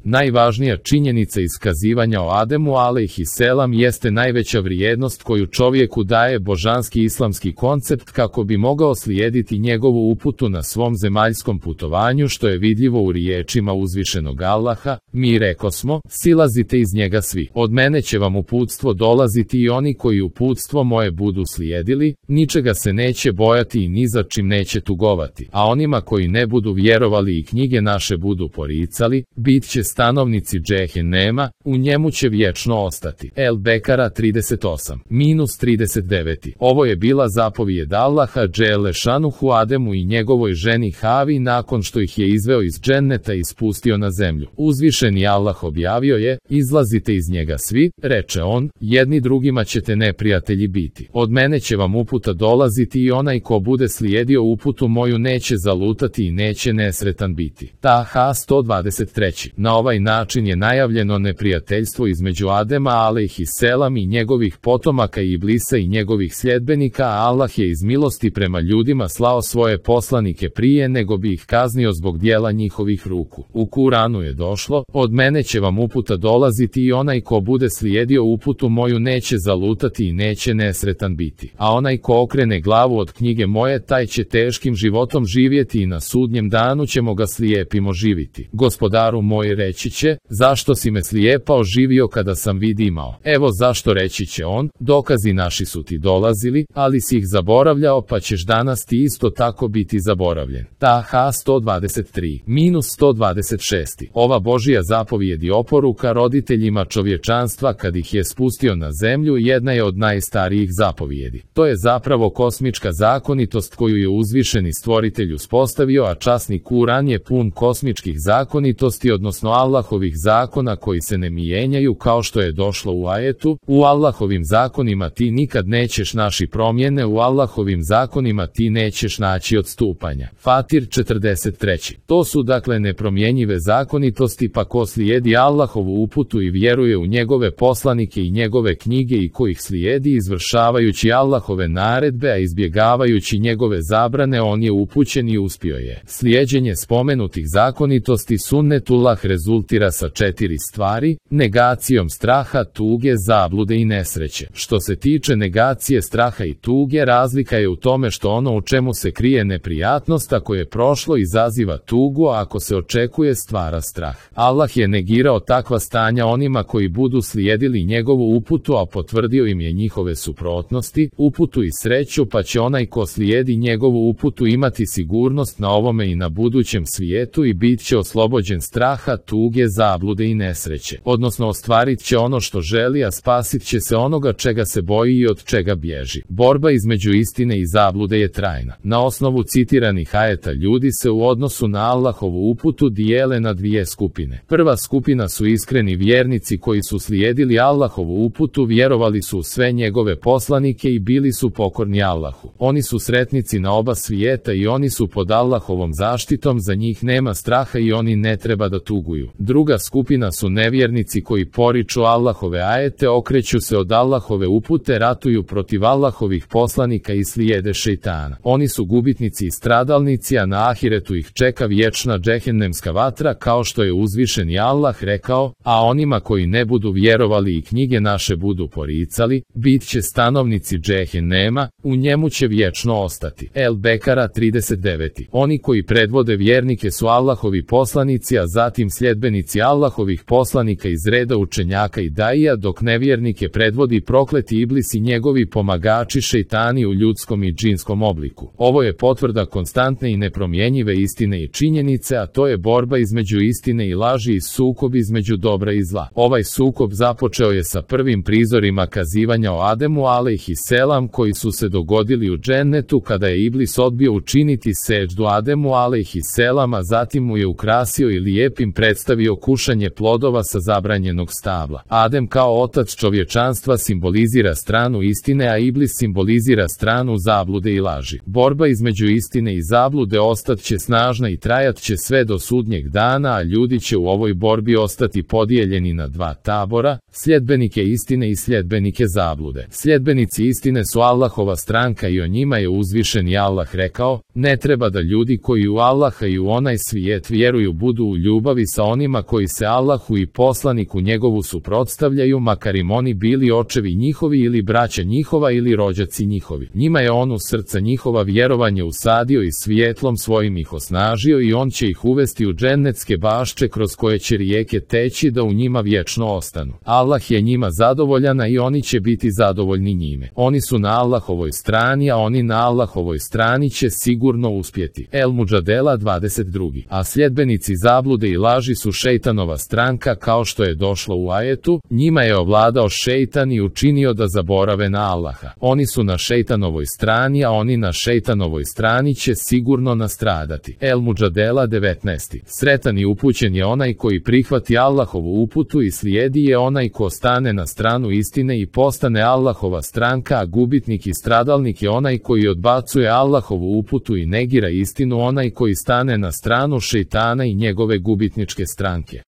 Najvažnija činjenica iskazivanja o Ademu alejhiselam jeste najveća vrijednost koju čovjeku daje božanski islamski koncept kako bi mogao slijediti njegovu uputu na svom zemaljskom putovanju, što je vidljivo u riječima uzvišenog Allaha: mi rekosmo, silazite iz njega svi. Od mene će vam uputstvo dolaziti i oni koji uputstvo moje budu slijedili, ničega se neće bojati i ni za čim neće tugovati. A onima koji ne budu vjerovali i knjige naše budu poricali, bit će stanovnici džehennema, u njemu će vječno ostati. El Bekara 38-39. Ovo je bila zapovijed Allaha dželle šanuhu Ademu i njegovoj ženi Havi nakon što ih je izveo iz dženneta i spustio na zemlju. Uzvišeni Allah objavio je: izlazite iz njega svi, reče on, jedni drugima ćete neprijatelji biti. Od mene će vam uputa dolaziti i onaj ko bude slijedio uputu moju neće zalutati i neće nesretan biti. Taha 123. Na ovaj način je najavljeno neprijateljstvo između Adema alejhiselam i njegovih potomaka i Iblisa i njegovih sljedbenika, a Allah je iz milosti prema ljudima slao svoje poslanike prije nego bi ih kaznio zbog dijela njihovih ruku. U Kuranu je došlo: od mene će vam uputa dolaziti i onaj ko bude slijedio uputu moju neće zalutati i neće nesretan biti. A onaj ko okrene glavu od knjige moje, taj će teškim životom živjeti i na sudnjem danu ćemo ga slijepim oživiti. Gospodaru moj, reći će: zašto si me slijepa oživio kada sam vid imao? Evo zašto, reći će on, dokazi naši su ti dolazili, ali si ih zaboravljao, pa ćeš danas ti isto tako biti zaboravljen. Taha 123-126. Ova Božija zapovijed i oporuka roditeljima čovječanstva kad ih je spustio na zemlju jedna je od najstarijih zapovijedi. To je zapravo kosmička zakonitost koju je uzvišeni stvoritelj uspostavio, a časni Kuran je pun kosmičkih zakonitosti, odnosno Allahovih zakona koji se ne mijenjaju, kao što je došlo u ajetu: u Allahovim zakonima ti nikad nećeš naći promjene, u Allahovim zakonima ti nećeš naći odstupanja. Fatir 43. To su dakle nepromjenjive zakonitosti, pa ko slijedi Allahovu uputu i vjeruje u njegove poslanike i njegove knjige i ko ih slijedi izvršavajući Allahove naredbe, a izbjegavajući njegove zabrane, on je upućen i uspio je. Slijeđenje spomenutih zakonitosti sunnetullah rezultira sa 4 stvari: negacijom straha, tuge, zablude i nesreće. Što se tiče negacije straha i tuge, razlika je u tome što ono u čemu se krije neprijatnost ako je prošlo izaziva tugu, a ako se očekuje stvara strah. Allah je negirao takva stanja onima koji budu slijedili njegovu uputu, a potvrdio im je njihove suprotnosti, uputu i sreću, pa će onaj ko slijedi njegovu uputu imati sigurnost na ovome i na budućem svijetu i bit će oslobođen straha, tuge, zablude i nesreće. Odnosno ostvarit će ono što želi, a spasit će se onoga čega se boji i od čega bježi. Borba između istine i zablude je trajna. Na osnovu citiranih ajeta ljudi se u odnosu na Allahovu uputu dijele na dvije skupine. Prva skupina su iskreni vjernici koji su slijedili Allahovu uputu, vjerovali su u sve njegove poslanike i bili su pokorni Allahu. Oni su sretnici na oba svijeta i oni su pod Allahovom zaštitom, za njih nema straha i oni ne treba da tuguju. Druga skupina su nevjernici koji poriču Allahove ajete, okreću se od Allahove upute, ratuju protiv Allahovih poslanika i slijede šejtana. Oni su gubitnici i stradalnici, a na ahiretu ih čeka vječna džehennemska vatra, kao što je uzvišeni Allah rekao: a onima koji ne budu vjerovali i knjige naše budu poricali, bit će stanovnici džehennema, u njemu će vječno ostati. El Bekara 39. Oni koji predvode vjernike su Allahovi poslanici, a zatim sljedbenici Allahovih poslanika iz reda učenjaka i daija, dok nevjernike predvodi prokleti Iblis i njegovi pomagači šejtani u ljudskom i džinskom obliku. Ovo je potvrda konstantne i nepromjenjive istine i činjenice, a to je borba između istine i laži i sukob između dobra i zla. Ovaj sukob započeo je sa prvim prizorima kazivanja o Ademu alejhiselam koji su se dogodili u džennetu kada je Iblis odbio učiniti seđdu Ademu alejhiselam, a zatim mu je ukrasio i lijepim predstavio kušanje plodova sa zabranjenog stabla. Adem kao otac čovječanstva simbolizira stranu istine, a Iblis simbolizira stranu zablude i laži. Borba između istine i zablude ostat će snažna i trajat će sve do sudnjeg dana, a ljudi će u ovoj borbi ostati podijeljeni na dva tabora: sljedbenike istine i sljedbenike zablude. Sljedbenici istine su Allahova stranka i o njima je uzvišeni Allah rekao: ne treba da ljudi koji u Allaha i u onaj svijet vjeruju budu u ljubavi sa onima koji se Allahu i poslaniku njegovu suprotstavljaju, makar im oni bili očevi njihovi ili braća njihova ili rođaci njihovi. Njima je on u srca njihova vjerovanje usadio i svijetlom svojim ih osnažio i on će ih uvesti u džennetske bašče kroz koje će rijeke teći da u njima vječno ostanu. Allah je njima zadovoljan i oni će biti zadovoljni njime. Oni su na Allahovoj strani, a oni na Allahovoj strani će sigurno uspjeti. El Mudžadela 22. A sljedbenici zablude i laži su šejtanova stranka, kao što je došlo u ajetu, njima je ovladao šejtan i učinio da zaborave na Allaha. Oni su na šejtanovoj strani, a oni na šejtanovoj strani će sigurno nastradati. El Mudžadela 19. Sretan i upućen je onaj koji prihvati Allahovu uputu i slijedi je onaj ko stane na stranu istine i postane Allahova stranka, a gubitnik i stradalnik je onaj koji odbacuje Allahovu uputu i negira istinu, onaj koji stane na stranu šejtana i njegove gubitničke stranke.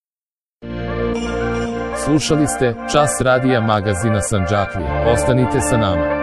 Slušali ste Čas radija magazina Sandžaklija. Ostanite sa nama.